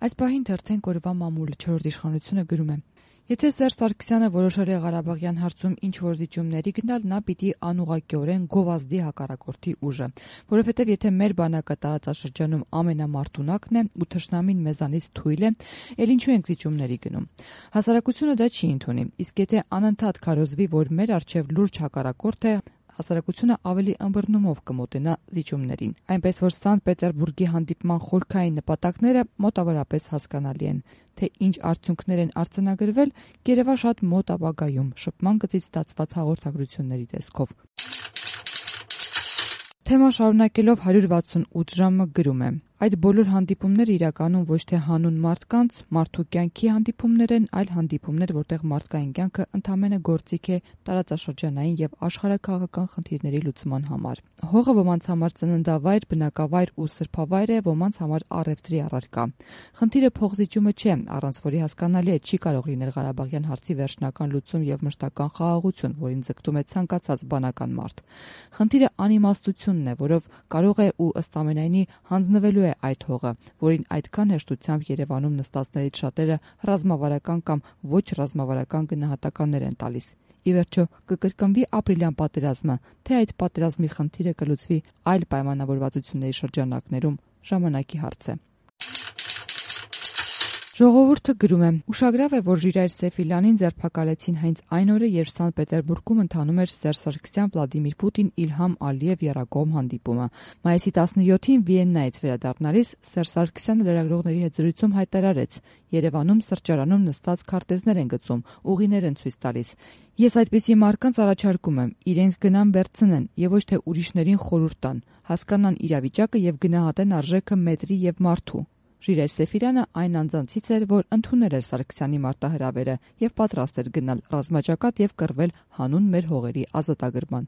Այս պահին թերթենք օրվա մամուլը 4-րդ իշխանությունը գրում է. Եթե Սերժ Սարգսյանը որոշել է Ղարաբաղյան հարցում ինչ-որ զիջումների գնալ, նա պիտի անուղղակիորեն գովազդի հակառակորդի ուժը, որովհետև եթե մեր բանակը տարածաշրջանում ամենամարտունակն է ու թշնամին մեզանից թույլ է, էլ ինչու ենք զիջումների գնում։ Հասարակությունը դա չի ընդունի, իսկ եթե անընդհատ քարոզվի, որ մեր առջև լուրջ հակառակորդ է, հասարակությունը ավելի ըմբռնումով կմոտենա զիջումներին, այնպես որ Սանտ Պետերբուրգի հանդիպման խորքային նպատակները մոտավորապես հասկանալի են, թե ինչ արդյունքներ են արձանագրվել գերեվաշատ մոտ ապագայում շփման գծից ստացված հաղորդագրությունների տեսքով։ Թեման շարունակելով 168 ժամը գրում է. Այդ բոլոր հանդիպումները իրականում ոչ թե հանուն մարդկանց, մարդու կյանքի հանդիպումներ են, այլ հանդիպումներ, որտեղ մարդկային կյանքը ընդամենը գործիք է տարածաշրջանային եւ աշխարհաքաղաքական խնդիրների լուծման համար։ Հողը ոմանց համար ծննդավայր, բնակավայր ու սրբավայր է, ոմանց համար առևտրի առարկա։ Խնդիրը փոխզիջումը չէ, առանց որի հասկանալի է չի կարող լինել Ղարաբաղյան հարցի վերջնական լուծում եւ մշտական խաղաղություն, որին ձգտում է ցանկացած բանական մարդ։ Խնդիրը անիմաստությունն է, որով կարող է ու ըստ ամենայնի հանձնվելու է այդ հողը, որին այդքան հեշտությամբ Երևանում նստածներից շատերը ռազմավարական կամ ոչ ռազմավարական գնահատականներ են տալիս։ Ի վերջո կկրկնվի ապրիլյան պատերազմը, թե այդ պատերազմի խնդիրը կլուծվի այլ պայմանավորվածությունների շրջանակներում, ժամանակի հարց է։ Ժողովուրդը գրում է. Ուշագրավ է, որ Ժիրայր Սեֆիլյանին ձերբակալեցին հենց այն օրը, երբ Սանտ Պետերբուրգում ընթանում էր Սերժ Սարգսյան, Վլադիմիր Պուտին, Իլհամ Ալիև եռակողմ հանդիպումը։ Մայիսի 17-ին Վիեննայից վերադառնալիս Սերժ Սարգսյանը լրագրողների հետ զրույցում հայտարարեց. Երևանում սրճարանում նստած քարտեզներ են գծում, ուղիներ են ցույց տալիս։ Ես այդպիսի մարդկանց առաջարկում եմ, իրենք գնան վերցնեն եւ ոչ թե ուրիշներին խորհուրդ տան, հասկանան իրավիճակը եւ գնահատեն արժեքը մետրի եւ մարդու։ Ժիրայր Սեֆիլյանը այն անձանցից էր, որ ընդունել էր Սարգսյանի մարտահրավերը եւ պատրաստ էր գնալ ռազմաճակատ եւ կռվել հանուն մեր հողերի ազատագրման։